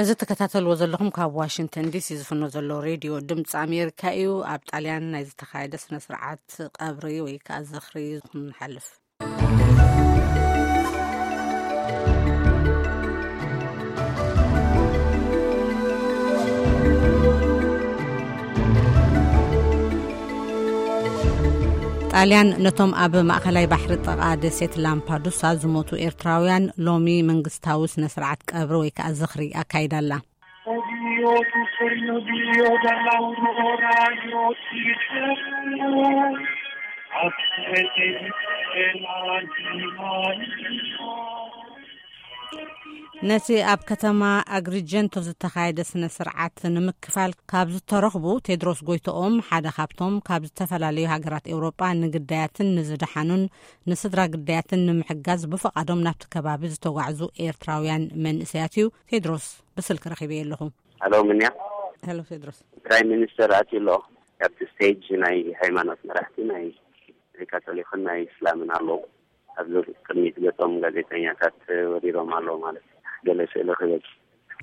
እዚ ትከታተልዎ ዘለኹም ካብ ዋሽንግተን ዲሲ ዝፍኖ ዘሎ ሬድዮ ድምፂ ኣሜሪካ እዩ። ኣብ ጣልያን ናይ ዝተኻየደ ስነ ስርዓት ቀብሪ ወይ ከዓ ዝኽሪ ክንሓልፍ። ጣልያን ነቶም ኣብ ማእኸላይ ባሕሪ ጥቓ ደሴት ላምፓዱሳ ዝሞቱ ኤርትራውያን ሎሚ መንግስታዊ ስነ ስርዓት ቀብሪ ወይ ከዓ ዝኽሪ ኣካይዳ ኣላ። ነቲ ኣብ ከተማ ኣግሪጀንቶ ዝተኻየደ ስነ ስርዓት ንምክፋል ካብ ዝተረኽቡ ቴድሮስ ጎይቶኦም ሓደ ካብቶም ካብ ዝተፈላለዩ ሃገራት ኤውሮጳ ንግዳያትን ንዝደሓኑን ንስድራ ግዳያትን ንምሕጋዝ ብፍቓዶም ናብቲ ከባቢ ዝተጓዕዙ ኤርትራውያን መንእሰያት እዩ። ቴድሮስ ብስልኪ ረኺበዮ ኣለኹ። ሄሎ፣ ምንያ? ሄሎ ቴድሮስ። ፕራይም ሚኒስተር ኣትዩ ኣሎ። ኣብቲ ስቴጅ ናይ ሃይማኖት መራሕቲ ናይ ካቶሊክን ናይ እስላምን ኣለዉ። ኣብዚ ቅድሚት ገጾም ጋዜጠኛታት ወሪዶም ኣለዉ ማለት እዩ። ገለ ስእሊ ክበጽ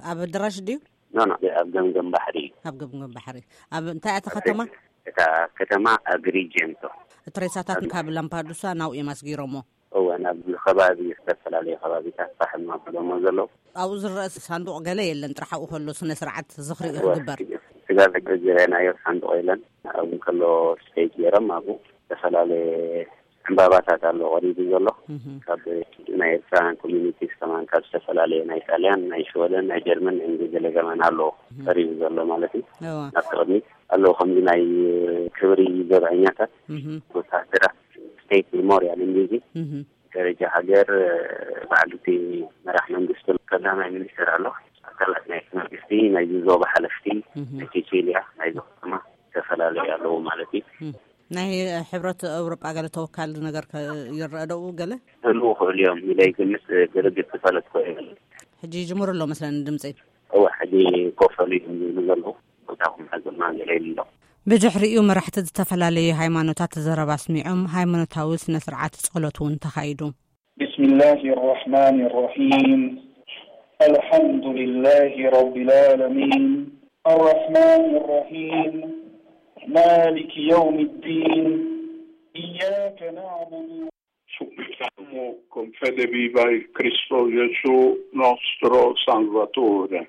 ኣብ ኣዳራሽ ድዩ? ኖ፣ ኖ፣ ኣብ ገምገም ባሕሪ እዩ። ኣብ ገምገም ባሕሪ። ኣብ እንታይ እያ እታ ከተማ? እታ ከተማ ኣግሪጀንቶ። እቲ ሬሳታት ኣብ ካብ ላምፓዱሳ ናብኡ እዮም ኣስጊሮሞ። እወ፣ ናብ ከባቢ፣ ዝተፈላለዩ ከባቢታት ፋሕም ኣቢሎሞ ዘለዉ። ኣብኡ ዝረአ ሳንዱቕ ገለ የለን፣ ጥራሕ ኣብኡ ከሎ ስነ ስርዓት ዝኽሪ እዩ እወ፣ ክግበር። ስጋብ ሕጂ ዝረአናዮ ሳንዱቕ የለን። ኣብኡ ከሎ ስቴጅ ገይሮም ኣብኡ ዝተፈላለየ ዕምባባታት ኣሎ ቀሪቡ ዘሎ። እህ። ካብ ናይ ኤርትራውያን ኮሚኒቲስ ከማን ካብ ዝተፈላለየ ናይ ጣልያን፣ ናይ ሽወደን፣ ናይ ጀርመን፣ ናይ እንግሊዝ ገለ ከማን ኣሎ እህ። ቀሪቡ ዘሎ ማለት እዩ። እወ። ናብቲ ቅድሚት ኣሎ ከምዚ ናይ ክብሪ ዘብዐኛታት እህ። ወታደራት ስቴት ሜሞሪያል እንግሊዝ እህ። ደረጃ ሃገር በዓል እቲ መራሕ መንግስቲ ቀዳማይ ሚኒስትር ኣሎ። ኣካላት ናይ መንግስቲ፣ ናይ ዞባ ሓለፍቲ፣ እህ። ናይ ሴሴልያ፣ ናይ ዞባ ከተማ ዝተፈላለዩ ኣለዉ ማለት እዩ። እህ። ናይ ሕብረት ኤውሮጳ ገለ ተወካሊ ነገር ከ ይረአ ዶ ገለ? ክህልዉ ክእሉ እዮም ኢለ ይግምት። ብርግጽ ዝፈለጥኩ የለን። ሕጂ ይጅምሩ ኣሎ መስለኒ ድምፂ። እወ፣ ሕጂ ኮፍ ኢሉ እዮም ዝብሉ ዘለዉ። ቦታ ኩም ሓዘና ገለ ኢሉ ኣሎ። ብድሕሪኡ መራሕቲ ዝተፈላለዩ ሃይማኖታት ዘረባ ኣስሚዖም፣ ሃይማኖታዊ ስነ ስርዓት ጸሎት እውን ተኻይዱ። بسم الله الرحمن الرحيم. الحمد لله رب العالمين. الرحمن الرحيم. مالك يوم الدين. إياك نعبد. Supplichiamo con fede viva il Cristo Gesù, nostro Salvatore.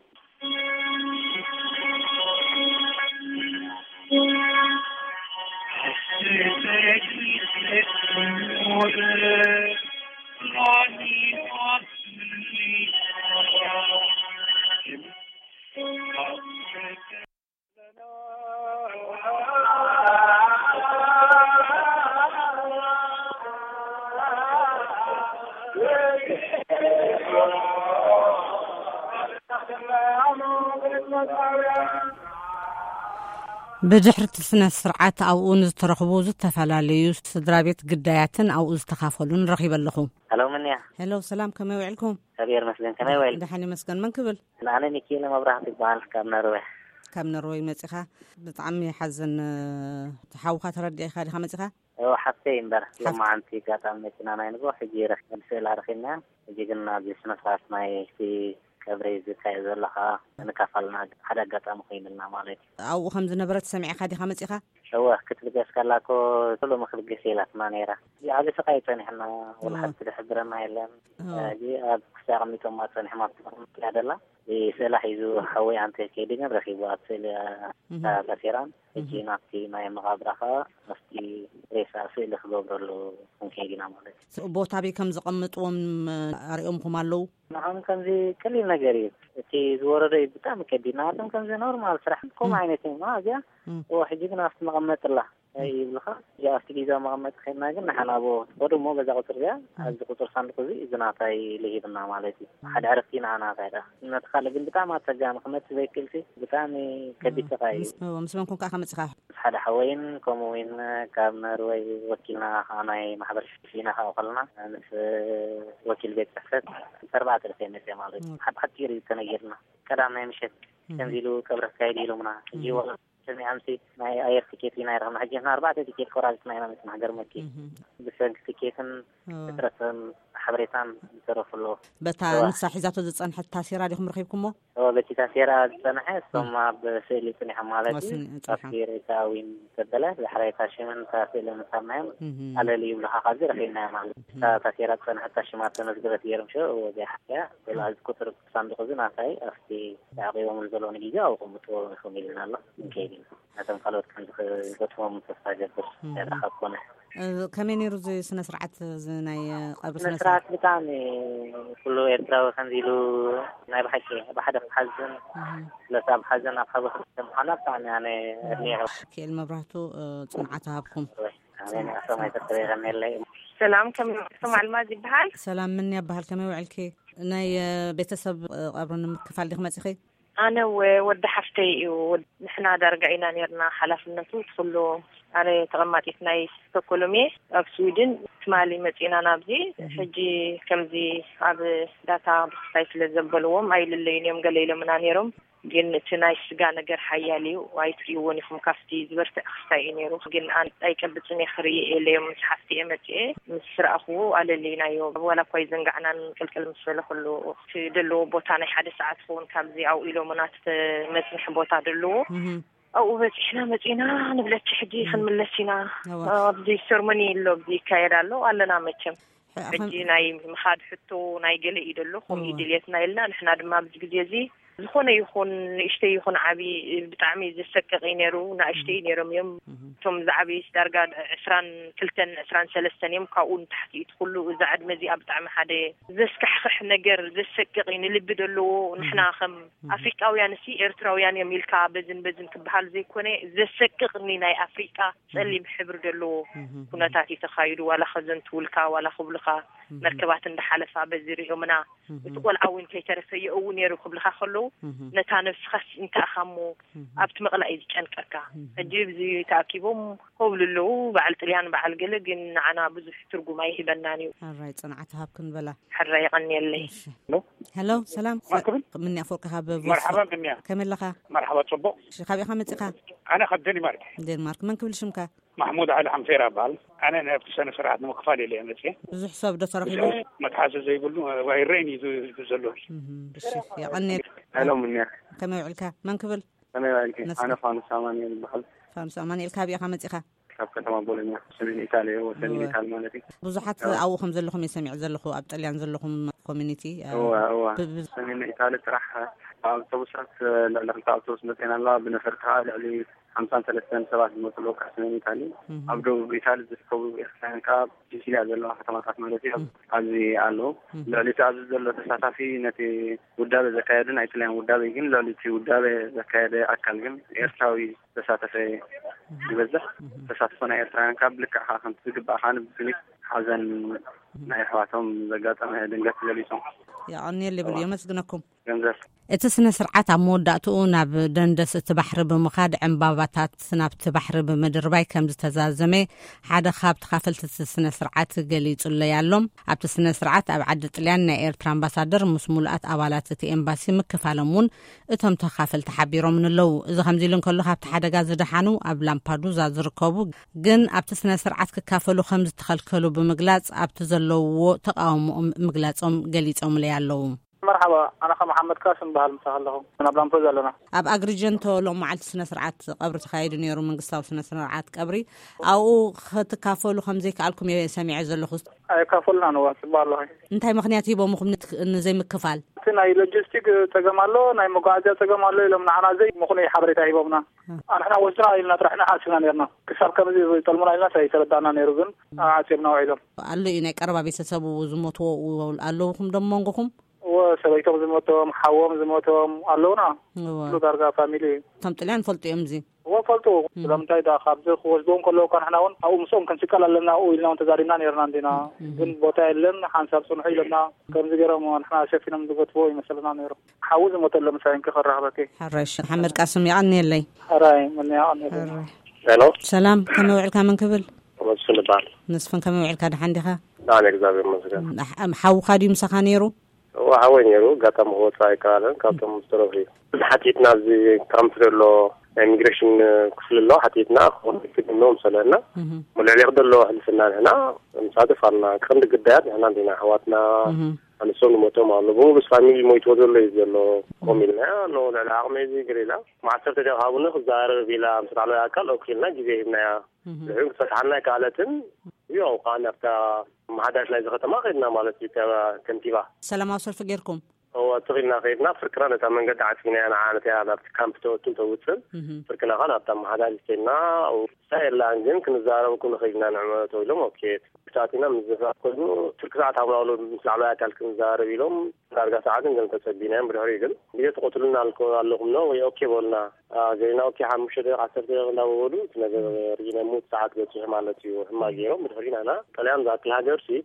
ብድሕሪ እቲ ስነ ስርዓት ኣብኡ ንዝተረኽቡ ዝተፈላለዩ ስድራ ቤት ግዳያትን ኣብኡ ዝተኻፈሉን ረኺበ ኣለኹ። ሄሎ፣ ምንያ? ሄሎ፣ ሰላም፣ ከመይ ውዕልኩም? እግዚኣብሔር ይመስገን፣ ከመይ ውዒልኩም? ደሓን ይመስገን። መን ክብል? ኣነ ሚኪኤለ መብራህቱ ይበሃል፣ ካብ ነርዌ። ካብ ነርወይ መጺኻ? ብጣዕሚ ይሓዝን። ሓውኻ ተረዲእካ ዲኻ መጺኻ? እዎ፣ ሓፍተይ እምበር። ሓፍ- ሎማዓንቲ ኣጋጣሚ መኪና ናይ ንግሆ ሕጂ ረኪ-፣ ስእላ ረኺብና። ሕጂ ግን ኣብዚ ስነ ስርዓት ናይ እቲ ቀብሪ ዝካየድ ዘሎ ኸዓ ንካፋልና ሓደ ኣጋጣሚ ኮይኑልና ማለት እዩ። ኣብኡ ከም ዝነበረት ሰሚዕካ ዲኻ መጺኻ? እወ፣ ክትልገስ ከላ እኮ ቶሎ ምክልገስ ኢላትና ነይራ። እዚ ዓቢ ስቃይ ጸኒሕና፣ ወላ እወ። ሓንቲ ዝሕብረና የለን። እወ። ሕጂ ኣብ ክሳ ኣቐሚጦማ ጸኒሖም ኣብቲ መኪና ደላ። ስእላ ሒዙ ሓወይ ኣንተ ከይዱ ግን ረኺቡ ኣብ ስእሊ እህ። ተኣሲራን። ሕጂ እህ። ናብቲ ናይ መቓብራ ኸዓ ኣብቲ ሬሳ ስእሊ ክገብረሉ ክንከይድ ኢና ማለት እዩ። ስ-፣ ቦታ ኣበይ ከም ዘቐምጥዎም ኣርእዮምኹም ኣለዉ? ንዓም ከምዚ ቀሊል ነገር እዩ። እቲ ዝወረዶ እዩ ብጣዕሚ ከቢድ። ንዓቶም ከምዚ ኖርማል ስራሕ ከምኡ እም። ዓይነት እዩ። እዚኣ እም። እዎ፣ ሕጂ ግን ኣብቲ መቐመጥላ እም። ይብልኻ። እዚኣ ኣብቲ ጊዜያዊ መቐመጢ ከድና ግን ንሓና ብኡ ክትኸዱ እሞ በዛ ቁፅሪ እዚኣ እም። ኣብዚ ቁፅሪ ሳንዱቕ እዚ እዚ ናታይ ኢሉ ሂብና ማለት እዩ። እም። ሓደ ዕረፍቲ ንዓና እንታይ ደኣ። ነቲ ካልእ ግን ብጣዕሚ ኣፀጋሚ ክመፅእ ዘይክእልሲ ብጣዕሚ ከቢድ እም። ስቓይ እዩ። ምስ፣ እዎ፣ ምስ መን ኮንካ ኢኻ መፂኻ? ምስ ሓደ ሓወይን ከምኡ እውን ካብ ኖርወይ ወኪልና ከዓ ናይ ማሕበር ፊና ከዓ ከለና ምስ ወኪል ቤት ፅሕፈት ምስ ኣርባዕተ ደቂ መፅእ ማለት እዩ። እም። ሓ-፣ ብሓፂሩ እዩ ተነጊርና። ቀዳም ናይ ምሸት እም። ከምዚ ኢሉ ቀብሪ ክካየድ እዩ ኢሎምና። ሕጂ እም። ወላ ሰሚዖምሲ ናይ ኣየር ትኬት ኢና ይረኽብና። ሕጂ ንሕና ኣርባዕተ ትኬት ቆራሪፅና ኢና መፅና ሃገር መኪ። እም። ብሰንኪ ትኬትን እዎ። እጥረትን ሓበሬታን ዝተረፉ ኣለዉ። በታ እዋ። ንሳ ሒዛቶ ዝጸንሐት ታሴራ ዲኹም ረኺብኩሞ? እዎ፣ በቲ ታሴራ ዝጸንሐ፣ እቶም ኣብ ስእሊ ጽኒሖም ማለት እዩ። ወስኒ-፣ ጽኒሖም። ኣብቲ ሬሳ ዊን ዘበለ፣ ዳሕራይ እታ ሽምን እታ ስእልን ምሳናዮም፣ እህ። ኣለሊ ይብሉኻ፣ ካብዚ ረኺብናዮ ማለት እዩ። እህ። እታ ታሴራ ዝጸንሐት እታ ሽማ ተመዝገበት ገይሮም ሽዑ፣ እዎ፣ እዚኣ ሓያ፣ እህ። ስለዚ ቁጽሪ ሳንዱቕ እዚ ናታይ ኣብቲ ተዓቂቦም ዘለዉ ንግዜ ኣብኡ ክምጥዎ ኢኹም ኢልና ኣሎ። ንከይድ ኢና። ነቶም ካልኦት ከም ዝገጥሞም ተስፋ ገብር። እህ። ያዳኻ ኮነ። እ፣ ከመይ ነይሩ እዚ ስነ ስርዓት፣ እዚ ናይ፣ እ፣ ቀብሪ ስነ ስነ ስርዓት? ስርዓት ብጣዕሚ ኩሉ ኤርትራዊ ከምዚ ኢሉ ናይ ብሓቂ ብሓደ ክሓዝን፣ እህ። ስለዚ ኣብ ሓዘን ኣብ ሓጎስ ምዃና ብጣዕሚ ኣነ ኣድኒቐ። ኪኤል መብራህቱ፣ እ፣ ጽንዓት ሃብኩም። ኣሜን። ኣቶም ኣይተተበይቐን የለይ። ሰላም፣ ከመይ ውዕልኩም? ኣልማዝ ይበሃል። ሰላም፣ ምን ያበሃል? ከመይ ውዕልኪ? ናይ፣ እ፣ ቤተሰብ፣ እ፣ ቀብሪ ንምክፋል ዲኺ መጺኺ? ኣነ ወ-፣ ወዲ ሓፍተይ እዩ። ወድ-፣ ንሕና ዳርጋ ኢና ኔርና ሓላፍነቱ እቲ ኩሉ። ኣነ ተቐማጢት ናይ ስቶኮሎም እየ፣ ኣብ ስዊድን። ትማሊ መጺእና ናብዚ። እህ። ሕጂ ከምዚ ኣብ ዳታ ብክስታይ ስለ ዘበልዎም ኣይልለዩን እዮም፣ ገለ ኢሎምና ኔሮም። ግን እቲ ናይ ስጋ ነገር ሓያል እዩ፣ ኣይትርእይዎን ኢኹም። ካብቲ ዝበርትዕ ክስታይ እዩ ኔሩ። ግን ኣን-፣ ኣይጨብጥን እየ፣ ክርኢ እየ ኢለዮም ምስ ሓፍቲ እየ መጺኤ። ምስ ረኣኽዎ ኣለለይናዮ። ዋላ እኳ ኣይዘንጋዕናን ቅልቅል ምስ በለ ከሎ፣ እቲ ዘለዎ ቦታ ናይ ሓደ ሰዓት ክኸውን ካብዚ ኣብኡ ኢሎምና፣ እቲ መጽንሒ ቦታ ዘለዎ። እህ። ኣብኡ በጺሕና መጺእና ንብለኪ ሕጂ እህ። ክንምለስ ኢና። እዋ። ኣብዚ ሰርሞኒ ኣሎ፣ ኣብዚ ይካየድ ኣሎ፣ ኣለና መቸም። ሕጂ ሕጂ ናይ ምኻድ ሕቶ ናይ ገለ እዩ ደሎ፣ ከምኡ እዋ። ድልየትና ኢልና፣ ንሕና ድማ ኣብዚ ግዜ እዚ ዝኾነ ይኹን ንእሽተይ ይኹን ዓቢ ብጣዕሚ ዘሰቅቕ እዩ ነይሩ። ንእሽተይ እህ። ነይሮም እዮም። እህ። እቶም ዝዓበዩስ ዳርጋ ዕስራን ክልተን ዕስራን ሰለስተን እዮም። ካብኡ ንታሕቲ እቲ ኩሉ፣ እዛ ዕድመ እዚኣ ብጣዕሚ ሓደ ዘስካሕክሕ ነገር፣ ዘሰቅቕ እዩ፣ ንልቢ ደለዎ። ንሕና እህ። ከም እህ። ኣፍሪቃውያን ሲ ኤርትራውያን እዮም ኢልካ በዝን በዝን ክበሃል ዘይኮነ፣ ዘሰቅቕ እኒ ናይ ኣፍሪቃ ጸሊም ሕብሪ ደለዎ እህ። ኩነታት እዩ ተኻይዱ። ዋላ ከዘንትውልካ፣ ዋላ ክብልኻ፣ እህ። መርከባት እንዳሓለፋ በዚ ሪኦምና። እህ። እቲ ቆልዓ እውን ከይተረፈ የእው ነይሩ ክብልኻ ከለዉ፣ እህ። ነታ ነብስኻስ እንታይ ኢኻ እሞ እህ። ኣብቲ መቕላእ እዩ ዝጨንቀካ። እህ። ሕጂ ብዚ ተኣኪቦም ኮብሉ ኣለዉ፣ በዓል ጥልያን በዓል ገለ፣ ግን ንዓና ብዙሕ ትርጉም ኣይህበናን እዩ። ሕራይ ጽንዓት ሃብ ክንበላ። ሕራይ የቐንየለይ። እሺ። ሄሎ? ሄሎ፣ ሰላም። ማን ክብል? ምንያ ኣፈወርቂ ካብ ቮይስ መርሓባ ኦፍ ምንያ። ከመይ ኣለኻ? መርሓባ፣ ጽቡቕ። እሺ፣ ካበይ ኢኻ መጺኻ? ኣነ ካብ ደኒማርክ። ደንማርክ። መን ክብል ሽምካ? ማሕሙድ ዓሊ ሓምፌራ እበሃል። ኣነ ናብቲ ስነ ስርዓት ንምክፋል ኢለ እየ መጽየ። ብዙሕ ሰብ ዶ ተረኺቡ? ብዙሕ መትሓዚ ዘይብሉ፣ ዋ፣ ይረአይን እዩ ዝ-፣ ዘሎ። እህ፣ እሺ፣ የቐንየል። ሄሎ፣ ምንያ። ከመይ ውዕልካ? መን ክብል? ከመይ ውዕልኪ? መስገን። ኣነ ፋኑስ ኣማኑኤል ይበሃል። ፋኑስ ኣማኑኤል፣ ካበይ ኢኻ መጺኻ? ካብ ከተማ ቦሎኛ፣ ሰሜን ኢጣልያ፣ ወሰን እወ። ኢጣል ማለት እዩ። ብዙሓት እወ። ኣብኡ ከም ዘለኹም እየ ሰሚዐ ዘለኹ፣ ኣብ ጥልያን ዘለኹም ኮሚኒቲ፣ እ፣ እወ፣ እወ። ብ-፣ ብ-፣ ሰሜን ኢጣልያ ጥራሕ ኣብ ኣውቶቡሳት፣ ልዕሊ ክልተ ኣውቶቡስ መጺኤን ኣለዋ። ብነፈርቲ ከዓ ልዕሊ ሓምሳን ሰለስተን ሰባት ዝመጹ ኣለዉ ካብ ሰሜን ኢጣልያ። እህ። ኣብ ደቡብ ኢጣልያ ዝርከቡ ኤርትራውያን ከዓ ኣብ ሲሲሊያ ዘለዋ ከተማታት ማለት እዩ፣ እህ። ኣብዚ ኣለዉ። እህ። ልዕሊ እቲ ኣብዚ ዘሎ ተሳታፊ ነቲ ውዳበ ዘካየደ ናይ ጥልያን ውዳበ ግን ልዕሊ እቲ ውዳበ ዘካየደ ኣካል ግን ኤርትራዊ ዝተሳተፈ ዝበዝሕ። እህ። ተሳትፎ ናይ ኤርትራውያን ካብ ልክዕ ከዓ ከምቲ ዝግባእ ከዓ ንብስኒት ሓዘን ናይ ኣሕዋቶም ዘጋጠመ ድንገት ገሊጾም። የቐንየል ይብል፣ እዋ። የመስግነኩም። ገንዘብ። እቲ ስነ ስርዓት ኣብ መወዳእትኡ ናብ ደንደስ እቲ ባሕሪ ብምኻድ ዕምባባታት ናብቲ ባሕሪ ብምድርባይ ከም ዝተዛዘመ ሓደ ካብ ተኻፈልቲ እቲ ስነ ስርዓት ገሊጹለይ ኣሎ። ኣብቲ ስነ ስርዓት ኣብ ዓዲ ጥልያን ናይ ኤርትራ ኣምባሳደር ምስ ሙሉኣት ኣባላት እቲ ኤምባሲ ምክፋሎም እውን እቶም ተኻፈልቲ ሓቢሮምን ኣለዉ። እዚ ከምዚ ኢሉ እንከሎ፣ ካብቲ ሓደጋ ዝደሓኑ ኣብ ላምፓዱዛ ዝርከቡ ግን ኣብቲ ስነ ስርዓት ክካፈሉ ከም ዝተኸልከሉ ብምግላጽ ኣብቲ ዘለውዎ ተቃውሞኦም ምግላጾም ገሊጾምለይ ኣለዉ። መርሓባ፣ ኣነ ኸ መሓመድ ካስም በሃል ምሳኻ ኣለኹ። ናብ ላምፖ ዘለና። ኣብ ኣግሪጀንቶ ሎም መዓልቲ ስነ ስርዓት ቀብሪ ተኻይዱ ነይሩ፣ መንግስታዊ ስነ ስርዓት ቀብሪ። ኣብኡ ክትካፈሉ ከም ዘይከኣልኩም እየ ሰሚዐ ዘለኹ። ኣይካፈሉናን፣ እዋ፣ ጽቡቕ ኣለኹ። እንታይ ምኽንያት ሂቦምኹም ንት-፣ ንዘይምክፋል? እቲ ናይ ሎጂስቲክ ጸገም ኣሎ፣ ናይ መጓዓዝያ ጸገም ኣሎ ኢሎም ንዓና ዘይምኽኑይ ሓበሬታ ሂቦምና። እ። ኣንሕና ወስድና ኢልና ጥራሕ ኢና ሓሲብና ነርና። ክሳብ ከምዚ ይጠልሙና ኢልና ኣይተረዳእና ነይሩ፣ ግን እ። ዓጺብና ውዒሎም። ኣሎ እዩ፣ ናይ ቀረባ ቤተሰቡ ዝሞትዎ ኣለውኹም ዶ መንጎኹም? እወ፣ ሰበይቶም ዝሞቶም፣ ሓዎም ዝሞቶም ኣለውና። እወ። ኩሉ ዳርጋ ፋሚሊ እዩ። እቶም ጥልያን ፈልጡ እዮም እዚ? እወ፣ ፈልጡ። እም። ስለምንታይ ደኣ ካብዚ ክወስድዎም ከለዉ እኳ ንሕና እውን ኣብኡ ምስኦም ክንስቀል ኣለና ኣብኡ ኢልና እውን ተዛሪብና ነይርና እንዲና። እም። ግን ቦታ የለን፣ ሓንሳብ ጽንሑ ኢሎምና። ከምዚ ገይሮም ንሕና ሸፊኖም ዝገትዎ ይመስለና ነይሩ። ሓዊ ዝሞተሎም ምሳይ እንከ ከራኽበኪ። ሕራይ፣ ሓመድ ቃስም የቐንየለይ። ሕራይ፣ ምን የቐንየለይ። ሕራይ። ሄሎ። ሰላም፣ ከመይ ውዕልካ? መን ክብል? መስፍን እበሃል። መስፍን፣ ከመይ ውዕልካ? ደሓን ዲኻ? ደሓን፣ እግዚኣብሔር ይመስገን። ሓ-፣ ሓውኻ ድዩ ምሳኻ ነይሩ? እወ፣ ሓወይ ነይሩ፣ ኣጋጣሚ ክወጽእ ኣይከኣለን፣ ካብቶም ዝተረፉ እዩ። ንሓቲትና ኣብዚ ካምፕ ዘሎ ናይ ኢሚግሬሽን ክፍሊ ኣሎ፣ ሓቲትና ክኾን ይፍትኖ ምሰለና። እሞ ልዕሊ ክደሎ ሕልፍና ንሕና ንሳተፍ ኣልና። ቀንዲ ግዳያት ንሕና እንዲና፣ ኣሕዋትና፣ ኣንሶም ንሞቶም ኣሎ። ብምሉስ ፋሚሊ ሞይትዎ ዘሎ እዩ ዘሎ። ኮም ኢልና፣ ኖ፣ ልዕሊ ዓቕመይ እዚ ገለ ኢላ። ማዕሰርተ ዲያ ሃቡኒ ክዛረብ ኢላ ምስ ላዕለዋይ ኣካል ኦኬ ኢልና ግዜ ሂብናያ። ድሕሪኡ ክፈትሓልና ኣይከኣለትን። ያው ከኣ ናብታ መሓዳሪት ናይዚ ከተማ ከድና ማለት እዩ፣ ከ-፣ ከንቲባ። ሰላማዊ ሰልፊ ጌርኩም? እወ፣ ትኽኢልና ከይድና፣ ፍርቅና ነታ መንገዲ ዓጺናያ፣ ንዓ ነቲያ ናብቲ ካምፕ ተወትን ተውፅን። ፍርቅና ከኣ ናብታ መሓዳሪት ከይድና፣ ኣብኡ ንሳ የላን፣ ግን ክንዛረበኩም ንኽእል ኢና ንዕመቶ ኢሎም። ኦኬ፣ ክሳቲና ምዝራብ ኮይኑ፣ ትርኪ ሰዓት ሃቡና ብሎ ምስ ላዕለዋይ ኣካል ክንዛረብ ኢሎም፣ ዳርጋ ሰዓትን ገለ ተጸቢናዮም። ብድሕሪኡ ግን ግዜ ትቐትሉና ኣልኮ-፣ ኣለኹም ዶ ወይ ኦኬ በሉና። አ፣ ዜና ኦኬ፣ ሓሙሽተ ደቂቕ፣ ዓሰርተ ደቂቕ እንዳበሉ እቲ ነገር ርኢና፣ ሙት ሰዓት በጺሑ ማለት እዩ። ሕማቕ ገይሮም ብድሕሪኡ ናና፣ ጥልያን ዝኣክል ሃገር ሲ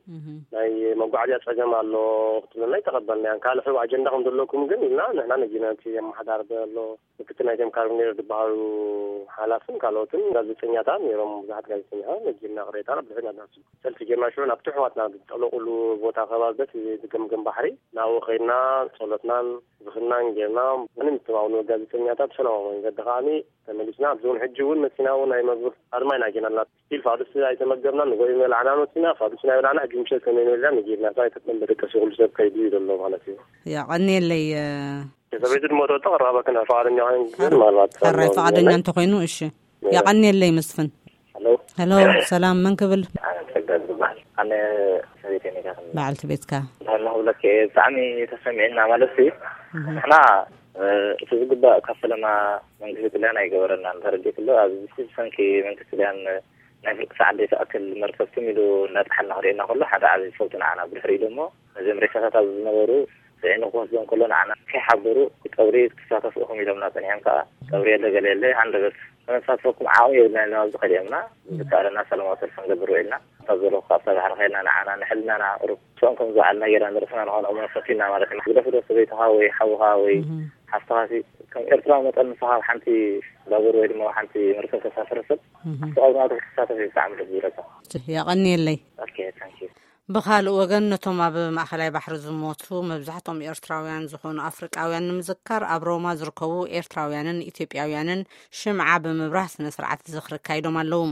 ናይ መጓዓዝያ ጸገም ኣሎ ክትብለና ኣይተቐበልናያን። ካልእ ሕቡእ ኣጀንዳ ከም ዘለኩም ግን ኢልና ንሕና ነጊርና፣ እቲ ኣመሓዳሪ ዘሎ ምክትል ናይቶም ካርቢኔር ዝበሃሉ ሓላፍን ካልኦትን ጋዜጠኛታት ነይሮም። ብዙሓት ጋዜጠኛታት ነጊርና ቅሬታና ብድሕሪኡ ናና ሰልፊ ጌርና ሽዑ ናብቲ ኣሕዋትና ዝጠለቑሉ ቦታ ከባቢ በቲ ዝገምገም ባሕሪ ናብኡ ከይድና ጸሎትናን ዝኽናን ጌርና፣ ምንም እቶም ኣብ ንበል ጋዜጠኛታት ብሰላማዊ መንገዲ ከዓኒ ተመሊስና። ኣብዚ እውን ሕጂ እውን መኪና እውን ኣይመግብ ኣድማ ኢና ጌርና ኣለና። ስቲል ፋዱስ ኣይተመገብናን፣ ንጎይም በላዕና መኪና፣ ፋዱስ ናይ በላዕና፣ ሕጂ ምሸት ከመይ ንበልና ንጌርና፣ እንታይ ተጠንበ ደቀሲ ኩሉ ሰብ ከይዱ እዩ ዘሎ ማለት እዩ። የቐንየለይ። ሰበይቲ ድሞቶ ተቐራባ ክና ፈቓደኛ ኮይን ግን ምናልባት ሕራይ ፈቓደኛ እንተኾይኑ፣ እሺ። የቐንየለይ መስፍን። ሄሎ። ሄሎ፣ ሰላም፣ መን ክብል? ኣነ ጸጋ ዝበሃል። ኣነ ሰበይተይ ኔጋ። በዓልቲ ቤትካ? እንድሕር ኣለኹ ብለኪ እየ ብጣዕሚ ተሰሚዕና ማለት እዩ። ንሕና፣ እ፣ እቲ ዝግባእ ካብ ፈለማ መንግስቲ ጥልያን ኣይገበረናን፣ ተረዲእክሎ። ኣብዚ ብሰንኪ መንግስቲ ጥልያን ናይ ፍርቂ ሰዓት ዘይትኣክል መርከብ ትም ኢሉ እናጠሓልና ክርእየና ከሎ ሓደ ዓብዪ ፈውጢ ንዓና። ብድሕሪኡ ደሞ ነዞም ሬሳታት ኣብዚ ዝነበሩ ጽዒኑ ክወስዶም ከሎ ንዓና ከይሓበሩ ቀብሪ ክትሳተፉ ኢኹም ኢሎምና ጸኒሖም። ከኣ ቀብሪ የለ ገለ የለ፣ ሃንደበት ከነሳትፈኩም ዓቕሚ የብልና ኢልና ኣብዚ ከሊኦምና። ዝከኣለና ሰላማዊ ሰልፊ ክንገብር ውዒልና። ካብ ዘለኹ ካብ ባሕሪ ከይድና ንዓና ንሕልናና ቁሩብ ስኦም ከም ዝወዓልና ጌርና ንርእስና ንኾንኦምና ፈቲና ማለት ኢና። ግደፍ ዶ ሰበይትኻ ወይ ሓውኻ ወይ ሓፍትኻ ሲ ከም ኤርትራዊ መጠን ንስኻ ኣብ ሓንቲ ባቡር ወይ ድማ ኣብ ሓንቲ መርከብ ተሳፍር ሰብ ኣብቲ ቀብሪ ናቱ ክትሳተፍ እዩ ብጣዕሚ ደስ ዝብለካ። የቐንየለይ። ኦኬ፣ ታንክ ዩ። ብኻልእ ወገን፣ ነቶም ኣብ ማእኸላይ ባሕሪ ዝሞቱ መብዛሕትኦም ኤርትራውያን ዝኾኑ ኣፍሪቃውያን ንምዝካር፣ ኣብ ሮማ ዝርከቡ ኤርትራውያንን ኢትዮጵያውያንን ሽምዓ ብምብራህ ስነ ስርዓት ዝኽሪ ኣካይዶም ኣለዉ።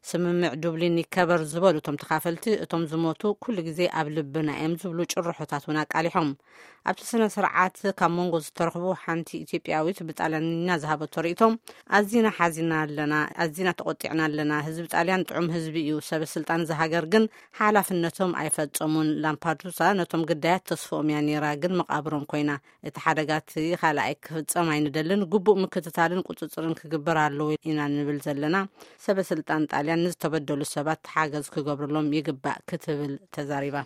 ስምምዕ ዱብሊን ይከበር ዝበሉ እቶም ተኻፈልቲ፣ እቶም ዝሞቱ ኩሉ ግዜ ኣብ ልብና እዮም ዝብሉ ጭርሖታት እውን ኣቃሊሖም። ኣብቲ ስነ ስርዓት ካብ መንጎ ዝተረኽቡ ሓንቲ ኢትዮጵያዊት ብጣልያንኛ ዝሃበቶ ርእይቶ፣ ኣዚና ሓዚና ኣለና፣ ኣዚና ተቖጢዕና ኣለና። ህዝቢ ጣልያን ጥዑም ህዝቢ እዩ። ሰበ ስልጣን እዛ ሃገር ግን ሓላፍነቶም ኣይፈጸሙን። ላምፓዱሳ ነቶም ግዳያት ተስፍኦም እያ ነይራ፣ ግን መቓብሮም ኮይና። እቲ ሓደጋ እቲ ካልኣይ ክፍጸም ኣይንደልን። ግቡእ ምክትታልን ቁጽጽርን ክግበር ኣለዎ ኢና ንብል ዘለና። ሰበ ስልጣን ጣልያን ንዝተበደሉ ሰባት ሓገዝ ክገብርሎም ይግባእ ክትብል ተዛሪባ።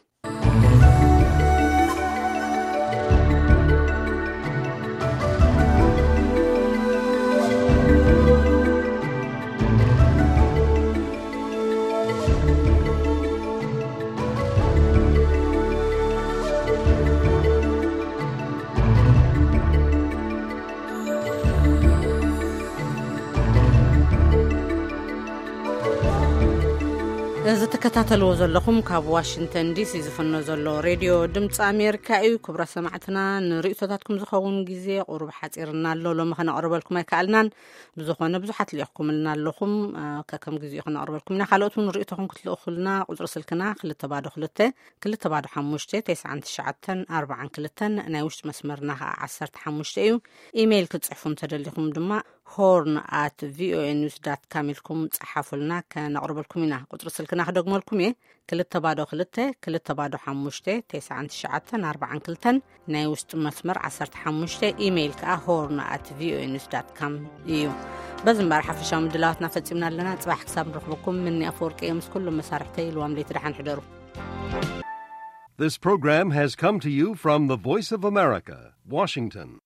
እዚ ትከታተልዎ ዘለኹም ካብ ዋሽንግተን ዲሲ ዝፍኖ ዘሎ ሬድዮ ድምፂ ኣሜሪካ እዩ። ክቡራት ሰማዕትና፣ ንርእይቶታትኩም ዝኸውን ግዜ ቁሩብ ሓፂርና ኣሎ። ሎሚ ከነቕርበልኩም ኣይከኣልናን። ብዝኾነ ብዙሓት ልኢኽኩምልና ኣለኹም። አ፣ ከከም ግዜኡ ከነቕርበልኩም ኢና። ካልኦት እውን ርእይቶኹም ክትልእኹልና ቁፅሪ ስልክና ክልተ ባዶ ክልተ፣ ክልተ ባዶ ሓሙሽተ፣ ተስዓን ትሽዓተን ኣርባዓን ክልተን፣ ናይ ውሽጢ መስመርና ከዓ ዓሰርተ ሓሙሽተ እዩ። ኢሜይል ክትፅሕፉ እንተደሊኹም ድማ ሆርን ኣት ቪኦኤ ኒውስ ዳት ካም ኢልኩም ጸሓፉልና፣ ከነቕርበልኩም ኢና። ቁጽሪ ስልክና ክደግመልኩም እየ፣ ክልተ ባዶ ክልተ፣ ክልተ ባዶ ሓሙሽተ፣ ተስዓን ትሽዓተን ኣርባዓን ክልተን፣ ናይ ውሽጢ መስመር ዓሰርተ ሓሙሽተ፣ ኢሜይል ከኣ ሆርን ኣት ቪኦኤ ኒውስ ዳት ካም እዩ። በዚ እምበኣር ሓፈሻዊ ምድላዋትና ፈጺምና ኣለና። ጽባሕ ክሳብ ንረኽበኩም፣ ምኒ ኣፈወርቂ እየ ምስ ኩሎም መሳርሕተይ። ልዋም ለይቲ ደሓን ሕደሩ። This program has come to you from the Voice of America, Washington.